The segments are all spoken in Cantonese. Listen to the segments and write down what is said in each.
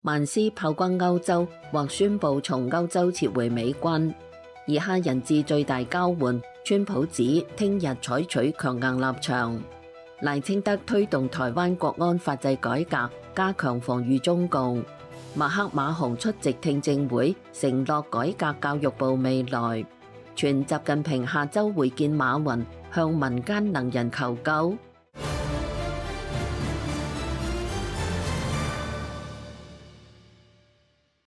曼斯炮轟歐洲，或宣布從歐洲撤回美軍。以哈人質最大交換，川普指聽日採取強硬立場。賴清德推動台灣國安法制改革，加強防禦中共。馬克馬洪出席聽證會，承諾改革教育部未來。傳習近平下周會見馬雲，向民間能人求救。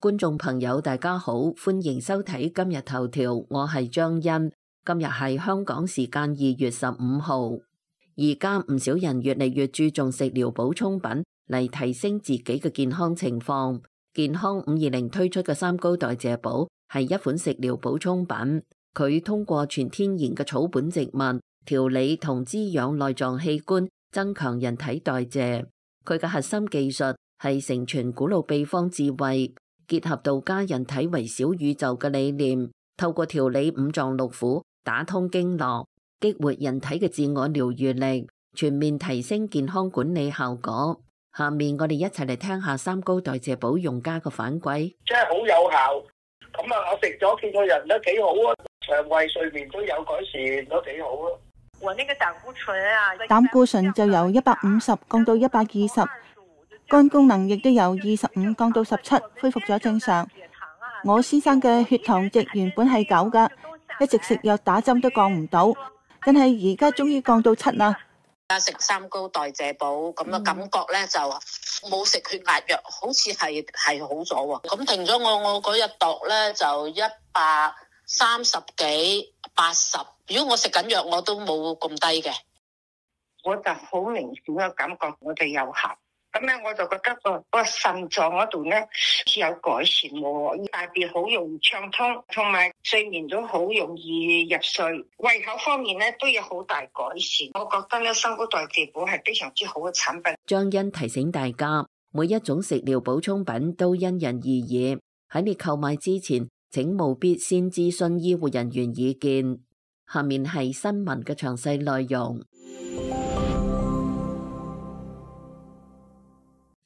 觀眾朋友大家好，歡迎收睇今日頭條，我係張欣。今日係香港時間2月15號。而家唔少人越嚟越注重食療補充品嚟提升自己嘅健康情況。健康520推出嘅三高代謝寶係一款食療補充品，佢通過全天然嘅草本植物調理同滋養內臟器官，增強人體代謝。佢嘅核心技術係承傳古老秘方智慧，結合道家人體為小宇宙嘅理念，透過調理五臟六腑，打通經絡，激活人體嘅自我療癒力，全面提升健康管理效果。下面我哋一齊嚟聽下三高代謝寶用家嘅反饋。真係好有效，咁啊，我食咗見個人都幾好啊，腸胃睡眠都有改善，都幾好啊。我那個膽固醇啊，膽固醇就由150降到120。肝功能亦都由25降到17，恢復咗正常。我先生嘅血糖值原本係9噶，一直食藥打針都降唔到，但係而家終於降到7啦。而家食三高代謝寶咁嘅感覺咧，就冇食血壓藥，好似係好咗喎。咁停咗我嗰日度咧就130幾80。如果我食緊藥，我都冇咁低嘅。我就好明顯嘅感覺，我哋有效。咁咧，我就覺得個腎臟嗰度咧有改善喎，大便好容易暢通，同埋睡眠都好容易入睡，胃口方面咧都有好大改善。我覺得咧，三高代謝寶係非常之好嘅產品。張欣提醒大家，每一種食療補充品都因人而異，喺你購買之前，請務必先諮詢醫護人員意見。下面係新聞嘅詳細內容。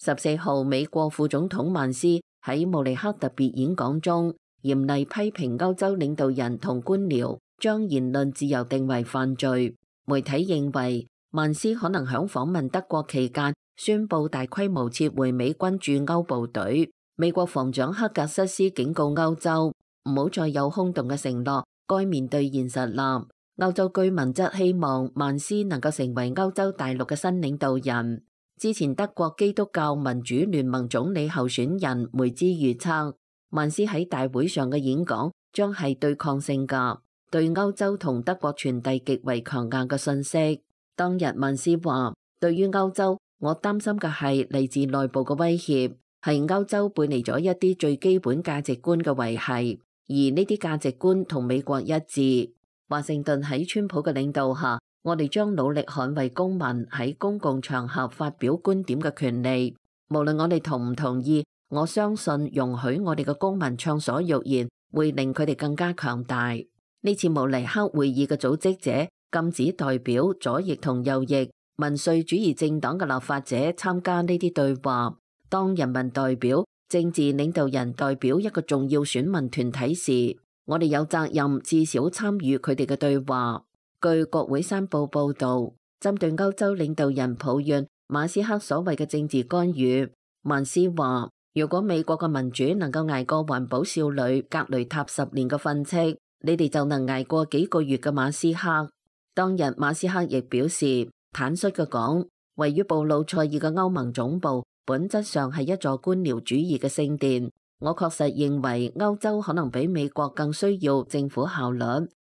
14號，美國副總統曼斯喺慕尼黑特別演講中，嚴厲批評歐洲領導人同官僚將言論自由定為犯罪。媒體認為，曼斯可能響訪問德國期間，宣布大規模撤回美軍駐歐部隊。美國防長克格瑟斯警告歐洲，唔好再有空洞嘅承諾，該面對現實啦。歐洲居民則希望曼斯能夠成為歐洲大陸嘅新領導人。之前德國基督教民主聯盟總理候選人梅茲預測，曼斯喺大會上嘅演講將係對抗性㗎，對歐洲同德國傳遞極為強硬嘅信息。當日曼斯話，對於歐洲，我擔心嘅係嚟自內部嘅威脅，係歐洲背離咗一啲最基本價值觀嘅維繫，而呢啲價值觀同美國一致。華盛頓喺川普嘅領導下，我哋將努力捍衛公民喺公共場合發表觀點嘅權利，無論我哋同唔同意，我相信容許我哋嘅公民暢所欲言，會令佢哋更加強大。呢次慕尼黑會議嘅組織者禁止代表左翼同右翼民粹主義政黨嘅立法者參加呢啲對話。當人民代表、政治領導人代表一個重要選民團體時，我哋有責任至少參與佢哋嘅對話。據國會山報報道，針對歐洲領導人抱怨馬斯克所謂嘅政治干預，曼斯話：如果美國嘅民主能夠捱過環保少女格雷塔10年嘅訓斥，你哋就能捱過幾個月嘅馬斯克。當日馬斯克亦表示，坦率嘅講，位於布魯塞爾嘅歐盟總部本質上係一座官僚主義嘅聖殿。我確實認為歐洲可能比美國更需要政府效率。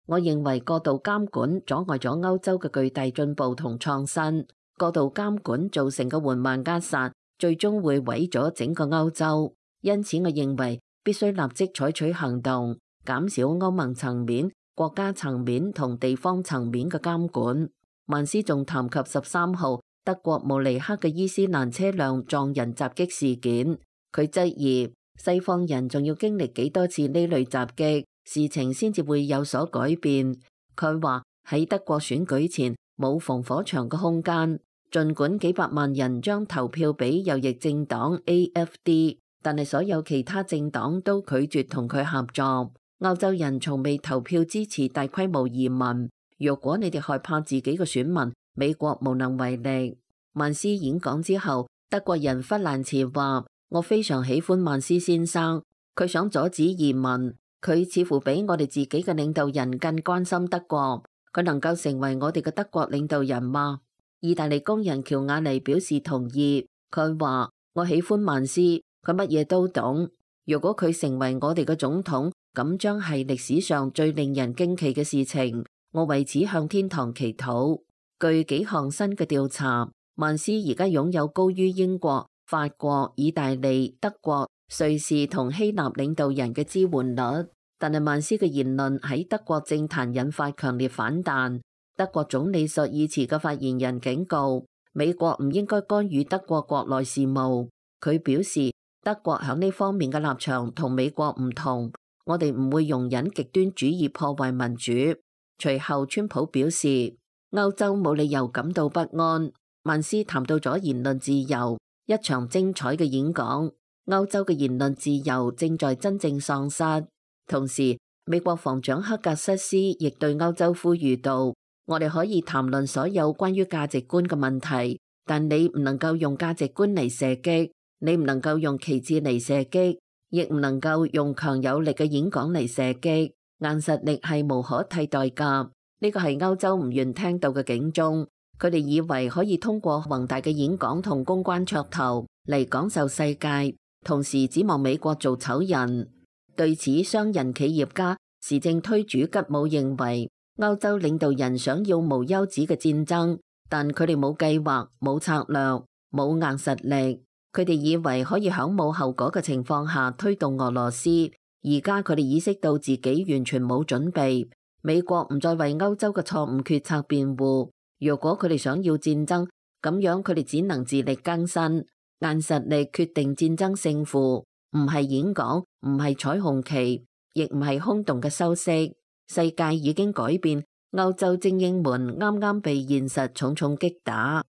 我認為過度監管阻礙咗歐洲嘅巨大進步同創新，過度監管造成嘅緩慢扼殺，最終會毀咗整個歐洲。因此，我認為必須立即採取行動，減少歐盟層面、國家層面同地方層面嘅監管。曼斯仲談及13號德國慕尼黑嘅伊斯蘭車輛撞人襲擊事件，佢質疑西方人仲要經歷幾多次呢類襲擊，事情先至會有所改變。佢話喺德國選舉前冇防火牆嘅空間，儘管幾百萬人將投票俾右翼政黨 AFD，但係所有其他政黨都拒絕同佢合作。歐洲人從未投票支持大規模移民。若果你哋害怕自己嘅選民，美國無能為力。曼斯演講之後，德國人弗蘭茨話：我非常喜歡曼斯先生，佢想阻止移民，佢似乎比我哋自己嘅領導人更關心德國。佢能夠成為我哋嘅德國領導人嗎？意大利工人喬瓦尼表示同意。佢話：我喜歡曼斯，佢乜嘢都懂。如果佢成為我哋嘅總統，咁將係歷史上最令人驚奇嘅事情。我為此向天堂祈禱。據幾項新嘅調查，曼斯而家擁有高於英國、法國、意大利、德國、瑞士同希臘領導人嘅支援率。但係曼斯嘅言論喺德國政壇引發強烈反彈。德國總理朔爾茨嘅發言人警告，美國唔應該干預德國國內事務。佢表示，德國喺呢方面嘅立場同美國唔同，我哋唔會容忍極端主義破壞民主。隨後，川普表示，歐洲冇理由感到不安。曼斯談到咗言論自由，一場精彩嘅演講。歐洲嘅言論自由正在真正喪失。同時，美國防長克格瑟斯亦對歐洲呼籲道：我哋可以談論所有關於價值觀嘅問題，但你唔能夠用價值觀嚟射擊，你唔能夠用旗幟嚟射擊，亦唔能夠用強有力嘅演講嚟射擊。硬實力係無可替代㗎。呢個係歐洲唔願聽到嘅警鐘。佢哋以為可以通過宏大嘅演講同公關噱頭嚟講授世界，同時指望美國做醜人。對此，商人企業家時政推主吉姆認為，歐洲領導人想要無休止嘅戰爭，但佢哋冇計劃、冇策略、冇硬實力。佢哋以為可以喺冇後果嘅情況下推動俄羅斯，而家佢哋意識到自己完全冇準備。美國唔再為歐洲嘅錯誤決策辯護。如果佢哋想要戰爭，咁樣佢哋只能自力更生。硬實力決定戰爭勝負，唔係演講，唔係彩虹旗，亦唔係空洞嘅修飾。世界已經改變，歐洲精英們啱啱被現實重重擊打。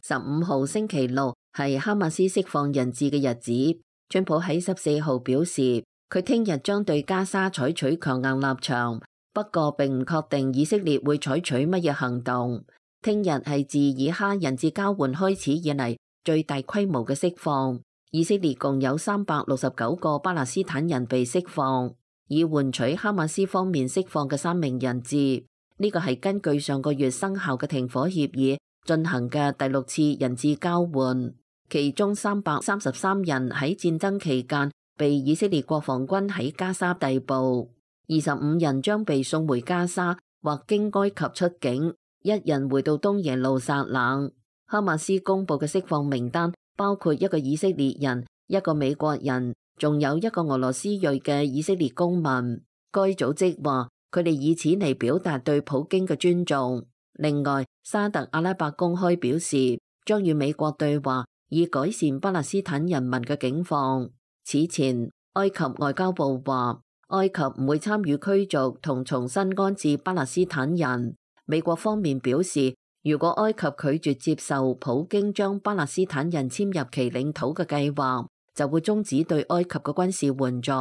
15號星期六係哈馬斯釋放人質嘅日子。川普喺14號表示，佢聽日將對加沙採取強硬立場，不過並唔確定以色列會採取乜嘢行動。聽日係自以哈人質交換開始以嚟最大規模嘅釋放。以色列共有369個巴勒斯坦人被釋放，以換取哈馬斯方面釋放嘅3名人質。呢個係根據上個月生效嘅停火協議進行嘅第6次人質交換，其中333人喺戰爭期間被以色列國防軍喺加沙逮捕，25人將被送回加沙或經埃及出境，1人回到東耶路撒冷。哈馬斯公布嘅釋放名單包括1個以色列人、1個美國人，仲有1個俄羅斯裔嘅以色列公民。該組織話佢哋以此嚟表達對普京嘅尊重。另外，沙特阿拉伯公開表示將與美國對話，以改善巴勒斯坦人民嘅境況。此前，埃及外交部話埃及唔會參與驅逐同重新安置巴勒斯坦人。美國方面表示，如果埃及拒絕接受普京將巴勒斯坦人遷入其領土嘅計劃，就會終止對埃及嘅軍事援助。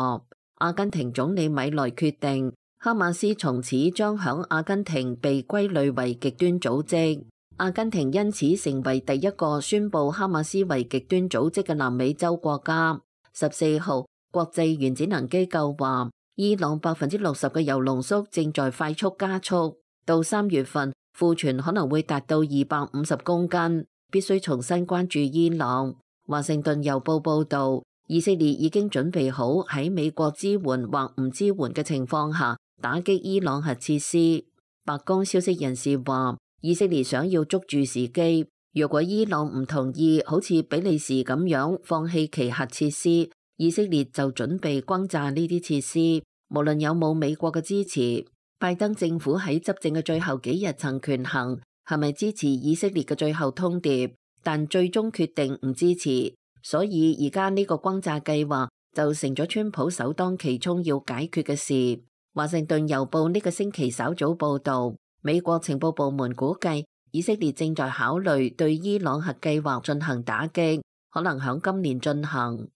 阿根廷總理米萊決定，哈馬斯從此將響阿根廷被歸類為極端組織。阿根廷因此成為第一個宣布哈馬斯為極端組織嘅南美洲國家。14號，國際原子能機構話，伊朗60%嘅鈾濃縮正在快速加速，到3月份庫存可能會達到250公斤，必須重新關注伊朗。華盛頓郵報報道，以色列已經準備好喺美國支援或唔支援嘅情況下打擊伊朗核設施。白宮消息人士話，以色列想要捉住時機，如果伊朗唔同意好似比利時咁樣放棄其核設施，以色列就準備轟炸呢啲設施。無論有冇美國嘅支持，拜登政府喺執政嘅最後幾日曾權衡係咪支持以色列嘅最後通牒，但最終決定唔支持。所以而家呢個轟炸計劃就成咗川普首當其衝要解決嘅事。華盛頓郵報呢個星期稍早報道，美國情報部門估計以色列正在考慮對伊朗核計劃進行打擊，可能響今年進行。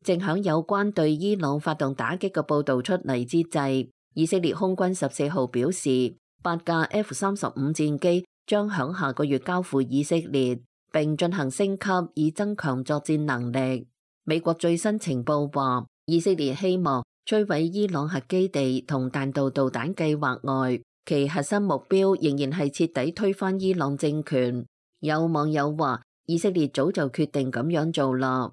正響有關對伊朗發動打擊嘅報導出嚟之際，以色列空軍14號表示，8架 F-35戰機將響下個月交付以色列，並進行升級以增強作戰能力。美國最新情報話，以色列希望摧毀伊朗核基地同彈道導彈計劃外，其核心目標仍然係徹底推翻伊朗政權。有網友話，以色列早就決定咁樣做啦。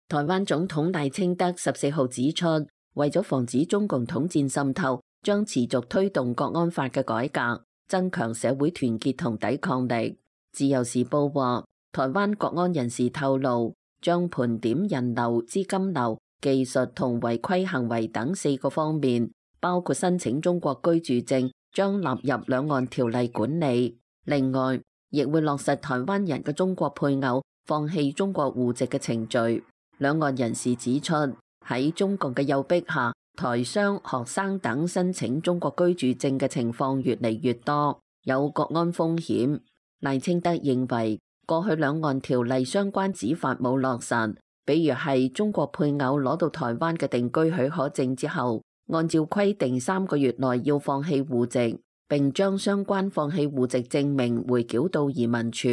台灣總統賴清德14號指出，為咗防止中共統戰滲透，將持續推動國安法嘅改革，增強社會團結同抵抗力。自由時報話，台灣國安人士透露，將盤點人流、資金流、技術同違規行為等4個方面，包括申請中國居住證，將納入兩岸條例管理。另外，亦會落實台灣人嘅中國配偶放棄中國戶籍嘅程序。兩岸人士指出，喺中共嘅誘逼下，台商、學生等申請中國居住證嘅情況越嚟越多，有國安風險。賴清德認為，過去兩岸條例相關指法冇落實，比如係中國配偶攞到台灣嘅定居許可證之後，按照規定3個月內要放棄戶籍，並將相關放棄戶籍證明回繳到移民署。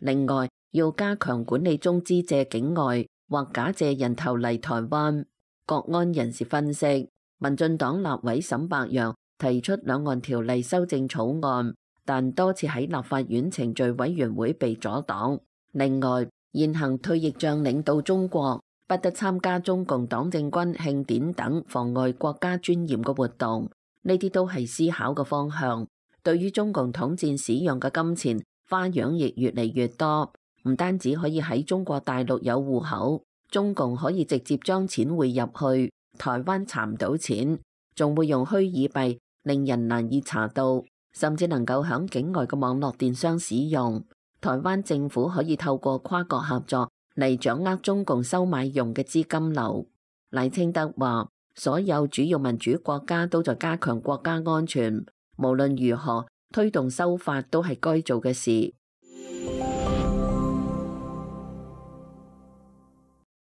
另外，要加強管理中資借境外或假借人頭嚟台灣。國安人士分析，民進黨立委沈伯洋提出兩岸條例修正草案，但多次喺立法院程序委員會被阻擋。另外，現行退役將領到中國不得參加中共黨政軍慶典等妨礙國家尊嚴嘅活動，呢啲都係思考嘅方向。對於中共統戰使用嘅金錢花樣亦越嚟越多，唔單止可以喺中國大陸有戶口，中共可以直接將錢匯入去，台灣查唔到錢，仲會用虛擬幣令人難以查到，甚至能夠響境外嘅網絡電商使用。台灣政府可以透過跨國合作嚟掌握中共收買用嘅資金流。賴清德話，所有主要民主國家都在加強國家安全，無論如何推動修法都係該做嘅事。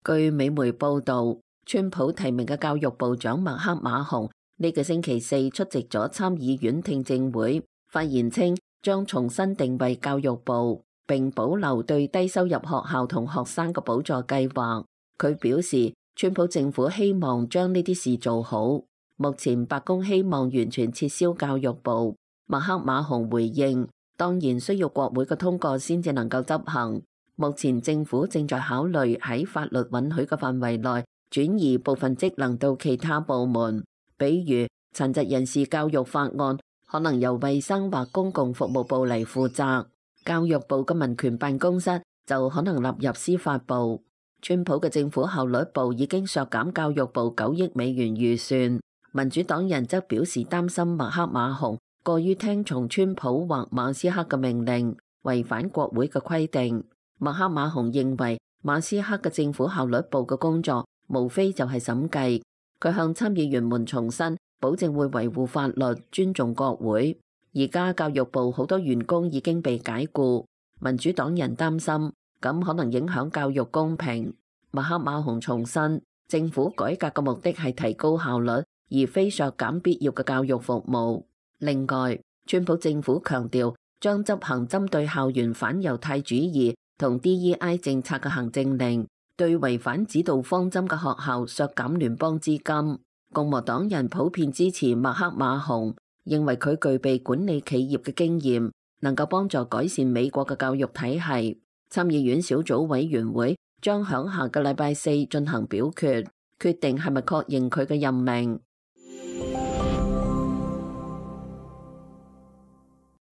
據美媒報道，川普提名嘅教育部長麥克馬洪呢個星期四出席咗參議院聽證會，發言稱將重新定位教育部，並保留對低收入學校同學生嘅補助計劃。佢表示，川普政府希望將呢啲事做好。目前白宮希望完全撤銷教育部。麥克馬洪回應，當然需要國會嘅通過先至能夠執行。目前政府正在考慮喺法律允許嘅範圍內轉移部分職能到其他部門，比如殘疾人士教育法案可能由衛生或公共服務部嚟負責，教育部嘅民權辦公室就可能納入司法部。川普嘅政府效率部已經削減教育部9億美元預算，民主黨人則表示擔心麥克馬洪過於聽從川普或馬斯克嘅命令，違反國會嘅規定。麥克馬洪認為馬斯克嘅政府效率部嘅工作無非就係審計。佢向參議員們重申，保證會維護法律、尊重國會。而家教育部好多員工已經被解僱，民主黨人擔心咁可能影響教育公平。麥克馬洪重申，政府改革嘅目的係提高效率，而非削減必要嘅教育服務。另外，川普政府強調將執行針對校園反猶太主義同 DEI 政策嘅行政令，對違反指導方針嘅學校削減聯邦資金。共和黨人普遍支持麥克馬洪，認為佢具備管理企業嘅經驗，能夠幫助改善美國嘅教育體系。參議院小組委員會將響下個禮拜4進行表決，決定係咪確認佢嘅任命。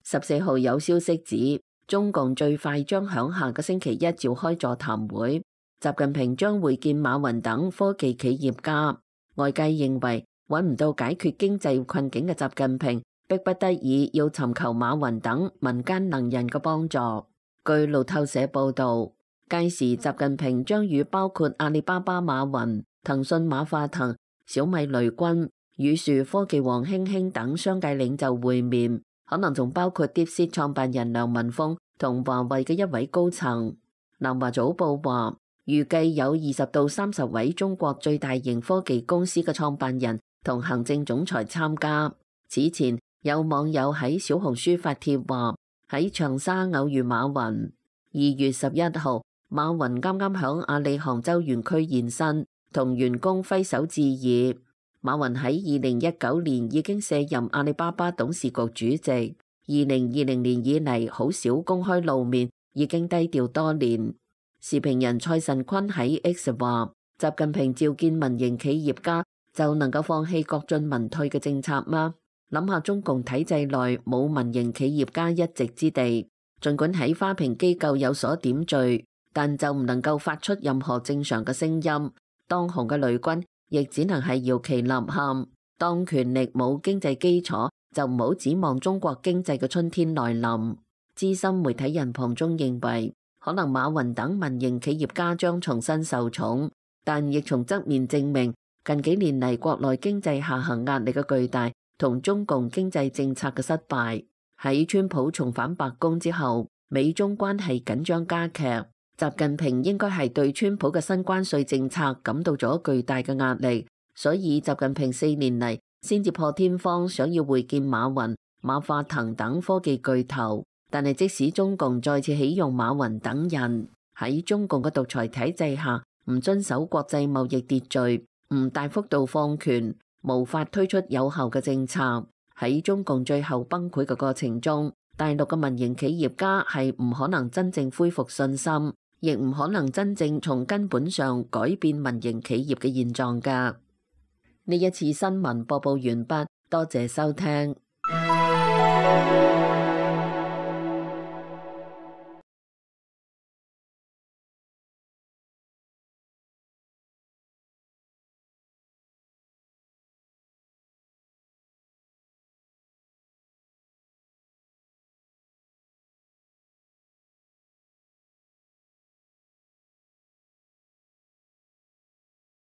14號有消息指，中共最快將響下個星期一召開座談會，習近平將會見馬雲等科技企業家。外界認為揾唔到解決經濟困境嘅習近平，迫不得已要尋求馬雲等民間能人嘅幫助。據路透社報道，屆時習近平將與包括阿里巴巴馬雲、騰訊馬化騰、小米雷軍、宇樹科技王興興等商界領袖會面，可能仲包括 DeepSeek 創辦人梁文峰同華為嘅一位高層。南華早報話，預計有20到30位中國最大型科技公司嘅創辦人同行政總裁參加。此前有網友喺小紅書發帖話，喺長沙偶遇馬雲。2月11號，馬雲啱啱響阿里杭州園區現身，同員工揮手致意。馬雲喺2019年已經卸任阿里巴巴董事局主席，2020年以嚟好少公開露面，已經低調多年。時評人蔡慎坤喺 X 話，習近平召見民營企業家就能夠放棄國進民退嘅政策嗎？諗下中共體制內冇民營企業家一席之地，儘管喺花瓶機構有所點綴，但就唔能夠發出任何正常嘅聲音。當紅嘅雷軍亦只能係搖旗吶喊。當權力冇經濟基礎，就唔好指望中國經濟嘅春天來臨。資深媒體人龐中認為，可能馬雲等民營企業家將重新受寵，但亦從側面證明近幾年嚟國內經濟下行壓力嘅巨大同中共經濟政策嘅失敗。喺川普重返白宮之後，美中關係緊張加劇。習近平應該係對川普嘅新關稅政策感到咗巨大嘅壓力，所以習近平4年嚟先至破天荒想要會見馬雲、馬化騰等科技巨頭。但係即使中共再次起用馬雲等人，喺中共嘅獨裁體制下，唔遵守國際貿易秩序，唔大幅度放權，無法推出有效嘅政策。喺中共最後崩潰嘅過程中，大陸嘅民營企業家係唔可能真正恢復信心，亦唔可能真正從根本上改變民營企業嘅現狀㗎。呢一次新聞播報完畢，多謝收聽。